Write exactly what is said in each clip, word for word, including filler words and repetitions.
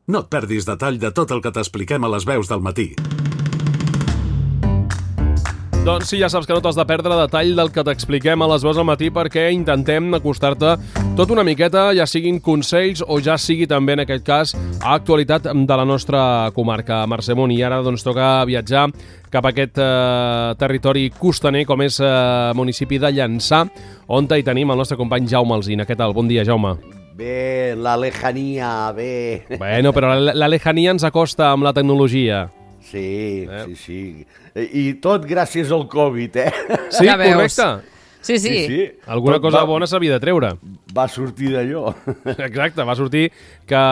No et perdis detall de tot el que t'expliquem a les veus del matí. Doncs sí, ja saps que no t'has de perdre detall del que t'expliquem a les veus al matí, perquè intentem acostar-te tot una miqueta, ja siguin consells o ja sigui també, en aquest cas, actualitat de la nostra comarca, Mercè Munt. I ara doncs toca viatjar cap a aquest eh, territori costaner, com és eh, municipi de Llançà, on hi tenim el nostre company Jaume Alsina. Què tal? Bon dia, Jaume. Bé, la lejania, bé. Bueno, però la, la lejania ens acosta amb la tecnologia. Sí, eh? sí, sí. I tot gràcies al Covid, eh? Sí, ja correcte. Sí, sí. sí, sí. Alguna tot cosa va, bona s'havia de treure. Va sortir d'allò. Exacte, va sortir que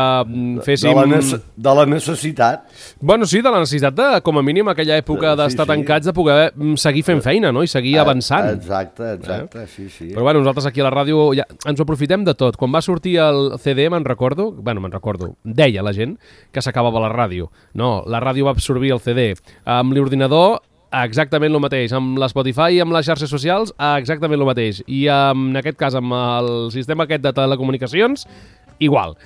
féssim... De la, nece de la necessitat. Bueno, sí, de la necessitat de, com a mínim, aquella època d'estar sí, sí. tancats, de poder seguir fent feina, no? I seguir avançant. Exacte, exacte, eh? sí, sí. Però bueno, nosaltres aquí a la ràdio ja ens ho aprofitem de tot. Quan va sortir el C D, me'n recordo, bueno, me'n recordo, deia la gent que s'acabava la ràdio. No, la ràdio va absorbir el C D. Amb l'ordinador, exactament el mateix. Amb l'Spotify i amb les xarxes socials, exactament el mateix. I en aquest cas, amb el sistema aquest de telecomunicacions, igual.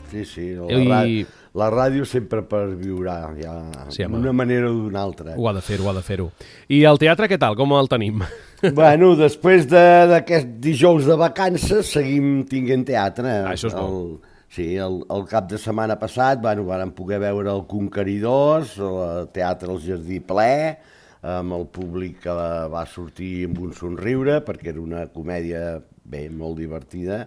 Sí, sí. La, I... ràdio, la ràdio sempre perviurà, ja, sí, d'una manera o d'una altra. Ho ha de fer-ho, ho ha de fer-ho. I el teatre, què tal? Com el tenim? Bueno, després d'aquest de, dijous de vacances, seguim tinguent teatre. Ah, això és bo. El... Sí, el, el cap de setmana passat bueno, vam poder veure el Conqueridors, el teatre al Jardí ple, amb el públic que va sortir amb un somriure, perquè era una comèdia bé, molt divertida,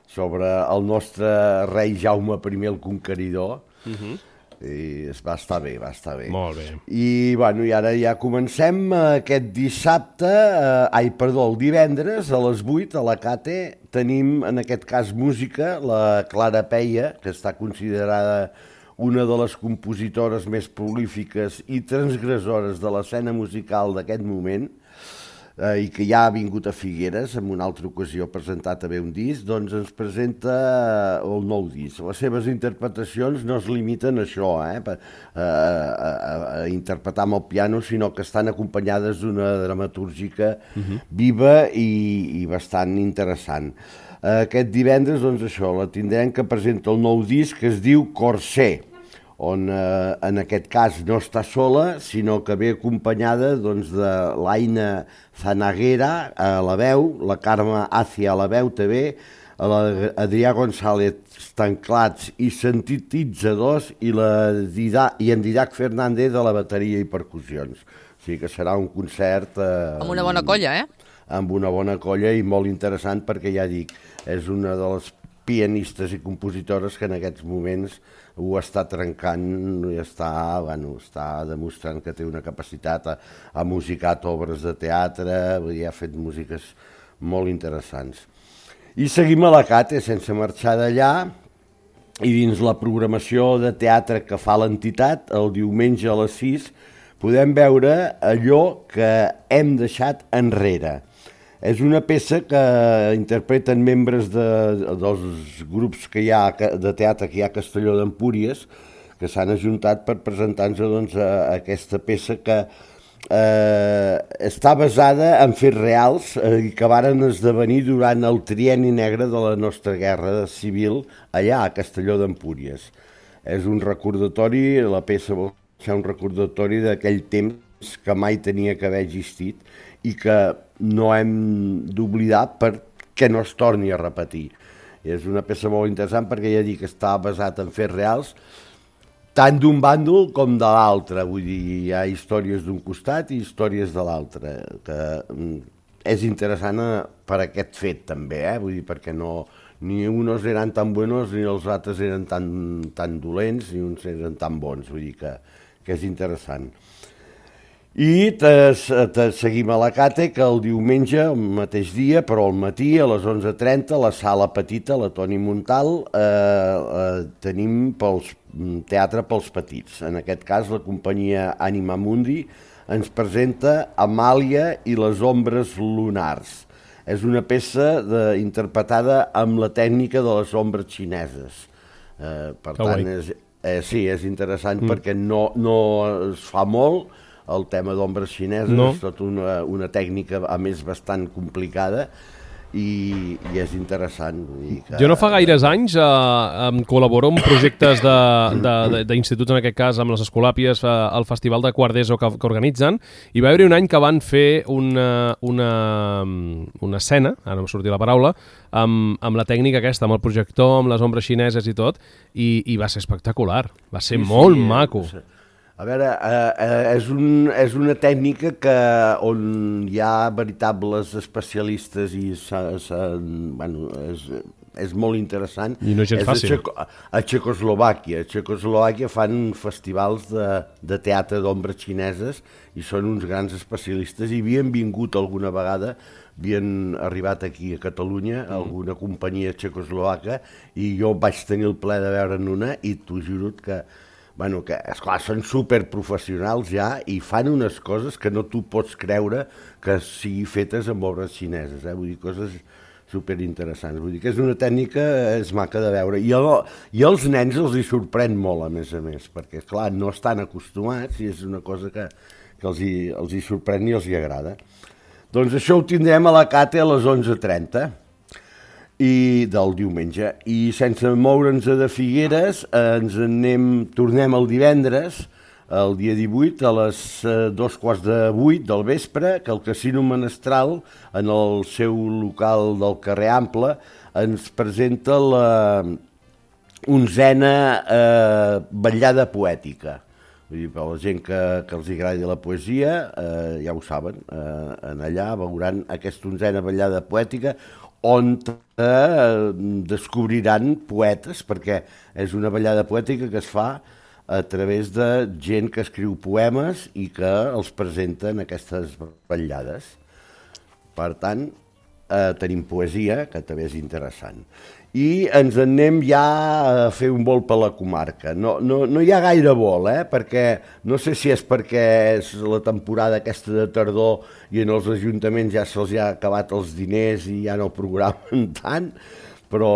sobre el nostre rei Jaume primer el Conqueridor. Uh-huh. I es va estar bé, va estar bé. Molt bé. I, bueno, i ara ja comencem aquest dissabte, eh, ai, perdó, el divendres a les vuit a la Cate tenim, en aquest cas, música, la Clara Peia, que està considerada una de les compositores més prolífiques i transgressores de l'escena musical d'aquest moment, eh, i que ja ha vingut a Figueres en una altra ocasió a presentar també un disc, doncs ens presenta el nou disc. Les seves interpretacions no es limiten a això, eh, a, a, a interpretar amb el piano, sinó que estan acompanyades d'una dramatúrgica uh-huh. viva i, i bastant interessant. Aquest divendres, doncs això, la tindrem que presenta el nou disc que es diu Corsé, on eh, en aquest cas no està sola, sinó que ve acompanyada doncs, de l'Aina Zanaguera a la veu, la Carme Acia a la veu també, l'Adrià González Tanclats i sintetitzadors i, la Dida, i en Didac Fernández de la bateria i percussions. O sigui que serà un concert... Eh, amb una bona colla, eh? Amb una bona colla i molt interessant perquè, ja dic, és una de les pianistes i compositores que en aquests moments ho està trencant i està, bueno, està demostrant que té una capacitat, ha, ha musicat obres de teatre i ha fet músiques molt interessants. I seguim a la Cate, sense marxar d'allà, i dins la programació de teatre que fa l'entitat, el diumenge a les sis, podem veure allò que hem deixat enrere. És una peça que interpreten membres de, dels grups que hi ha de teatre que hi ha a Castelló d'Empúries, que s'han ajuntat per presentar-nos doncs, a aquesta peça que eh, està basada en fets reals eh, i que varen esdevenir durant el trienni negre de la nostra guerra civil allà a Castelló d'Empúries. És un recordatori, la peça vol ser un recordatori d'aquell temps que mai tenia que haver existit i que no hem d'oblidar perquè no es torni a repetir. És una peça molt interessant perquè ja dic que està basat en fets reals, tant d'un bàndol com de l'altre. Vull dir, hi ha històries d'un costat i històries de l'altre, que és interessant per aquest fet també, eh? Vull dir, perquè no, ni uns eren tan buenos ni els altres eren tan, tan dolents ni uns eren tan bons, vull dir que, que és interessant. I te, te seguim a la Cate, que el diumenge, el mateix dia, però al matí, a les onze trenta, a la sala petita, la Toni Montal, eh, eh, tenim pels, teatre pels petits. En aquest cas, la companyia Anima Mundi ens presenta Amàlia i les ombres lunars. És una peça de, interpretada amb la tècnica de les ombres xineses. Eh, per que tant, és, eh, sí, és interessant mm. perquè no, no es fa molt. El tema d'ombres xineses no. És tota una, una tècnica, a més, bastant complicada i, i és interessant. Vull dir que... Jo no fa gaires anys eh, em col·laboro en projectes d'instituts, en aquest cas amb les Escolàpies, eh, al Festival de Quart d'E S O que, que organitzen, i va haver un any que van fer una, una, una escena, ara no em sortia la paraula, amb, amb la tècnica aquesta, amb el projector, amb les ombres xineses i tot, i, i va ser espectacular, va ser sí, molt sí, maco. Eh, A veure, eh, eh, és, un, és una tècnica que on hi ha veritables especialistes i sa, sa, bueno, és, és molt interessant. I no és gens és fàcil. A, Txeco, a Txecoslovàquia. A Txecoslovàquia fan festivals de, de teatre d'ombres xineses i són uns grans especialistes i havien vingut alguna vegada, havien arribat aquí a Catalunya, mm. alguna companyia txecoslovaca, i jo vaig tenir el plaer de veure'n una i t'ho juro que Bueno, que, esclar, són superprofessionals ja i fan unes coses que no tu pots creure que sigui fetes amb obres xineses, eh? Vull dir, coses superinteressants. Vull dir que és una tècnica, és maca de veure. I, el, i els nens els hi sorprèn molt, a més a més, perquè, clar, no estan acostumats i és una cosa que, que els, hi, els hi sorprèn i els hi agrada. Doncs això ho tindrem a la Cate a les onze trenta. I del diumenge, i sense moure'ns de Figueres ens anem, tornem el divendres, el dia divuit, a les eh, dos quarts de vuit del vespre, que el Casino Menestral, en el seu local del carrer Ample, ens presenta la onzena eh, vetllada poètica. Vull dir, per la gent que, que els agradi la poesia, eh, ja ho saben, eh, en allà veuran aquesta onzena vetllada poètica, on eh, descobriran poetes, perquè és una ballada poètica que es fa a través de gent que escriu poemes i que els presenta en aquestes ballades. Per tant, eh, tenim poesia, que també és interessant. I ens anem ja a fer un vol per la comarca. No, no, no hi ha gaire vol, eh? Perquè no sé si és perquè és la temporada aquesta de tardor i en els ajuntaments ja se'ls ha acabat els diners i ja no programen tant, però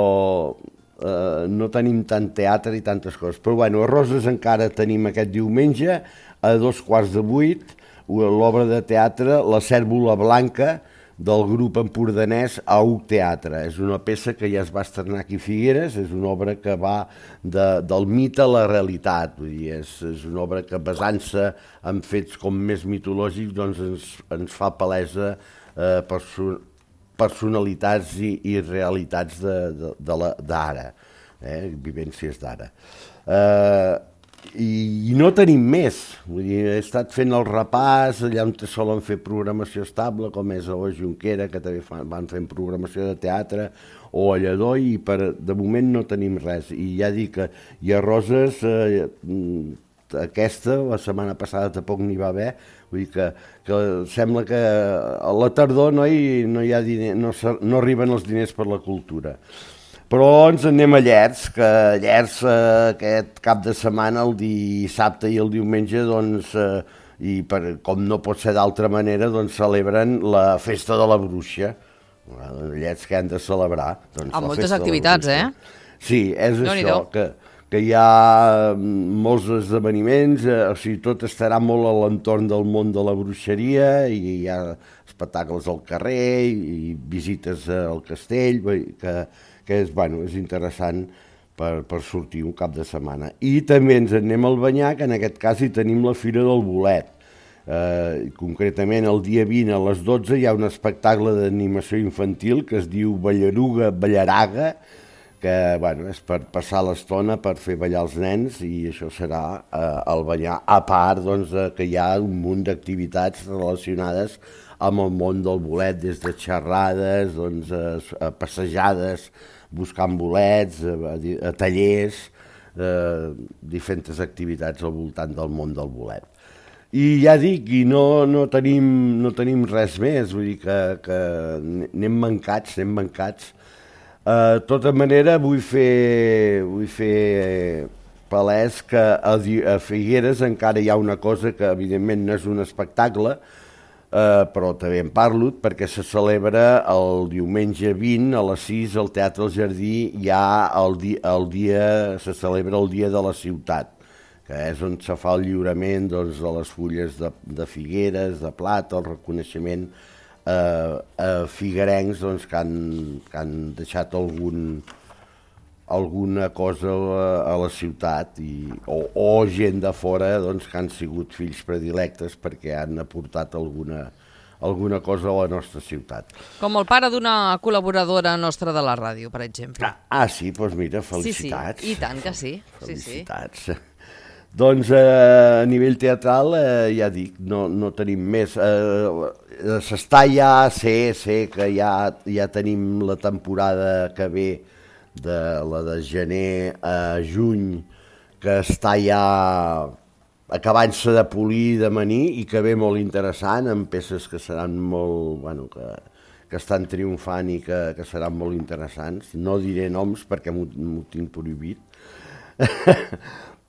eh, no tenim tant teatre i tantes coses. Però bueno, a Roses encara tenim aquest diumenge, a dos quarts de vuit, l'obra de teatre La Cèrvola Blanca, del grup empordanès Au Teatre. És una peça que ja es va estrenar aquí a Figueres, és una obra que va de, del mite a la realitat, vull dir, és, és una obra que basant-se en fets com més mitològics doncs ens, ens fa palesa eh, perso personalitats i, i realitats d'ara, eh, vivències d'ara. Eh, I, i no tenim més, vull dir, he estat fent el repàs allà on solen fer programació estable, com és a O Junquera, que també fan, van fent programació de teatre, o a Lledó, i per, de moment no tenim res. I ja dic que hi ha Roses, eh, aquesta, la setmana passada tampoc n'hi va haver, vull dir que, que sembla que a la tardor no hi, no hi ha diner, no, no arriben els diners per la cultura. Però ens anem a Llers, que Llers eh, aquest cap de setmana, el dissabte i el diumenge, doncs, eh, i per, com no pot ser d'altra manera, doncs celebren la festa de la bruixa. Llers que han de celebrar. Doncs, amb moltes activitats, eh? Sí, és no això, que, que hi ha molts esdeveniments, eh, o sigui, tot estarà molt a l'entorn del món de la bruixeria, i hi ha espectacles al carrer, i visites al castell, que... que és, bueno, és interessant per, per sortir un cap de setmana. I també ens anem al Banyar, que en aquest cas hi tenim la Fira del Bolet. Eh, concretament, el dia vint a les dotze hi ha un espectacle d'animació infantil que es diu Ballaruga Ballaraga, que, bueno, és per passar l'estona, per fer ballar els nens, i això serà eh, al Banyar, a part, doncs, que hi ha un munt d'activitats relacionades amb el món del bolet, des de xerrades, doncs, a, a passejades, buscant bolets, a, a tallers, eh, diferents activitats al voltant del món del bolet. I ja dic, i no, no, tenim, no tenim res més, vull dir que, que anem mancats, anem mancats. Eh, de tota manera, vull fer, vull fer palès que a, a Figueres encara hi ha una cosa que evidentment no és un espectacle, Uh, però també en parlo perquè se celebra el diumenge vint a les sis al Teatre del Jardí. Ja el, di el dia se celebra el Dia de la Ciutat, que és on se fa el lliurament, doncs, de les fulles de, de Figueres, de plata, el reconeixement eh, eh, figuerencs doncs, que, han, que han deixat algun, alguna cosa a la, a la ciutat i, o, o gent de fora doncs, que han sigut fills predilectes perquè han aportat alguna, alguna cosa a la nostra ciutat. Com el pare d'una col·laboradora nostra de la ràdio, per exemple. Ah, ah sí, doncs mira, felicitats. Sí, sí, i tant que sí. Felicitats. Sí, sí. Doncs eh, a nivell teatral, eh, ja dic, no, no tenim més. Eh, S'està ja, sé, sé que ja, ja tenim la temporada que ve, de la de gener a juny, que està ja acabant-se de polir, de manir, i que ve molt interessant, amb peces que seran molt, bueno, que, que estan triomfant i que, que seran molt interessants. No diré noms perquè m'ho tinc prohibit.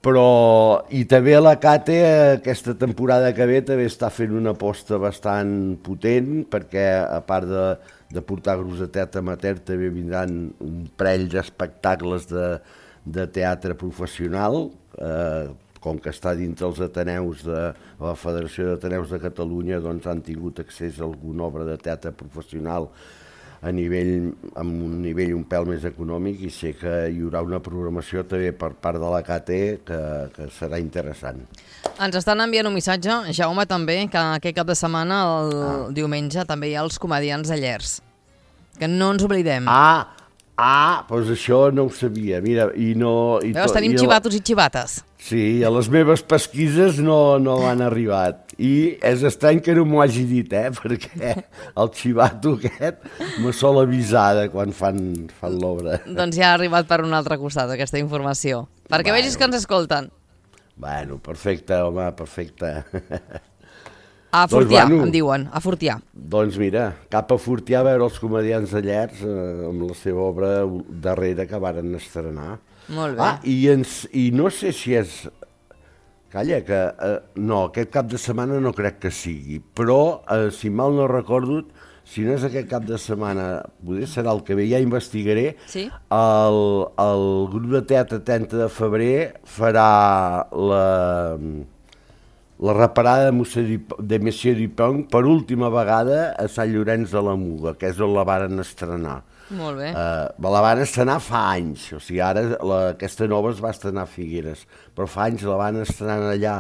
Però, i també la Cate, aquesta temporada que ve, també està fent una aposta bastant potent, perquè a part de, de portar grups de teatre amateur, també vindran un parell d'espectacles de, de teatre professional, eh, com que està dintre els Ateneus de la Federació d'Ateneus de Catalunya, doncs han tingut accés a alguna obra de teatre professional a nivell, amb un nivell un pèl més econòmic, i sé que hi haurà una programació també per part de la Cate que, que serà interessant. Ens estan enviant un missatge, Jaume, també, que aquest cap de setmana, el ah. diumenge, també hi ha els comedians de Llers. Que no ens oblidem. Ah, ah, doncs això no ho sabia. Mira, i no... I Veus, tenim i xivatos i xivates. Sí, a les meves pesquises no, no han arribat. I és estrany que no m'ho hagi dit, eh? Perquè el xivato aquest me sol avisar de quan fan, fan l'obra. Doncs ja ha arribat per un altre costat aquesta informació. Perquè bueno. Vegis que ens escolten. Bueno, perfecte, home, perfecte. A Fortià, doncs, bueno, em diuen, a Fortià. Doncs mira, cap a Fortià a veure els comedians de Llers eh, amb la seva obra darrera que varen estrenar. Molt bé. Ah, i, ens, i no sé si és... Calla, que eh, no, aquest cap de setmana no crec que sigui, però, eh, si mal no recordo, si no és aquest cap de setmana, potser serà el que ve, ja investigaré, sí? el, el grup de teatre trenta de febrer farà la, la reparada de Monsieur Dupont per última vegada a Sant Llorenç de la Muga, que és on la varen estrenar. Molt bé. Uh, la van estrenar fa anys, o sigui, ara la, aquesta nova es va estrenar a Figueres, però fa anys la van estrenar allà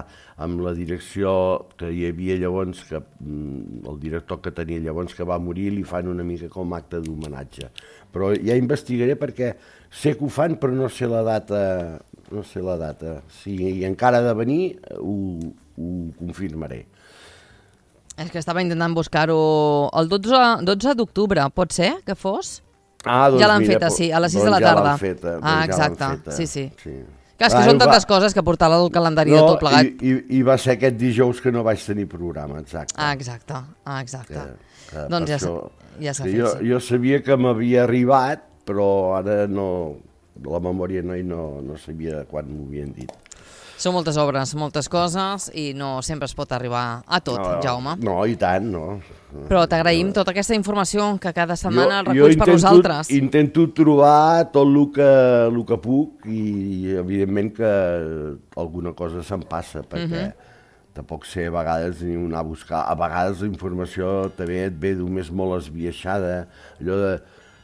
amb la direcció que hi havia llavors, que el director que tenia llavors que va morir, li fan una mica com acte d'homenatge. Però ja investigaré perquè sé que ho fan, però no sé la data, no sé la data. Si encara ha de venir, ho, ho confirmaré. És que estava intentant buscar-ho el dotze d'octubre, pot ser que fos? Ah, doncs ja l'han mira, feta, sí, a les sis doncs de la ja tarda. Feta, doncs ah, exacte, ja feta. sí, sí. sí. Clar, és que ah, són tantes va... coses que portar el calendari no, de tot plegat. I, i, I va ser aquest dijous que no vaig tenir programa, exacte. Ah, exacte, ah, exacte. Que, que doncs ja s'ha ja fet, jo, sí. Jo sabia que m'havia arribat, però ara no, la memòria no, no, no sabia quan m'ho havien dit. Són moltes obres, moltes coses, i no sempre es pot arribar a tot, no, Jaume. No, i tant, no. Però t'agraïm tota aquesta informació que cada setmana jo, reculls jo per nosaltres. Jo intento trobar tot el que, el que puc i, evidentment, que alguna cosa se'n passa, perquè uh-huh. tampoc sé a vegades ni anar a buscar. A vegades la informació també et ve només molt esbiaixada, allò de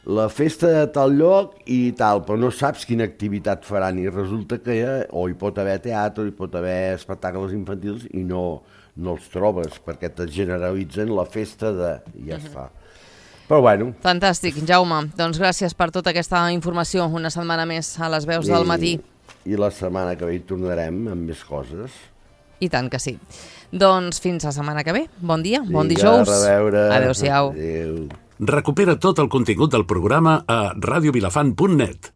la festa de tal lloc i tal, però no saps quina activitat faran i resulta que ja, o hi pot haver teatre, o hi pot haver espectacles infantils i no, no els trobes perquè te generalitzen la festa de... i ja uh-huh. es fa. Però bueno. Fantàstic, Jaume. Doncs gràcies per tota aquesta informació una setmana més a les veus I, del matí. I la setmana que ve hi tornarem amb més coses. I tant que sí. Doncs fins la setmana que ve. Bon dia, bon Vinga, dijous. A reveure. Adéu-siau. Adéu. Recupera tot el contingut del programa a radio vilafant punt net.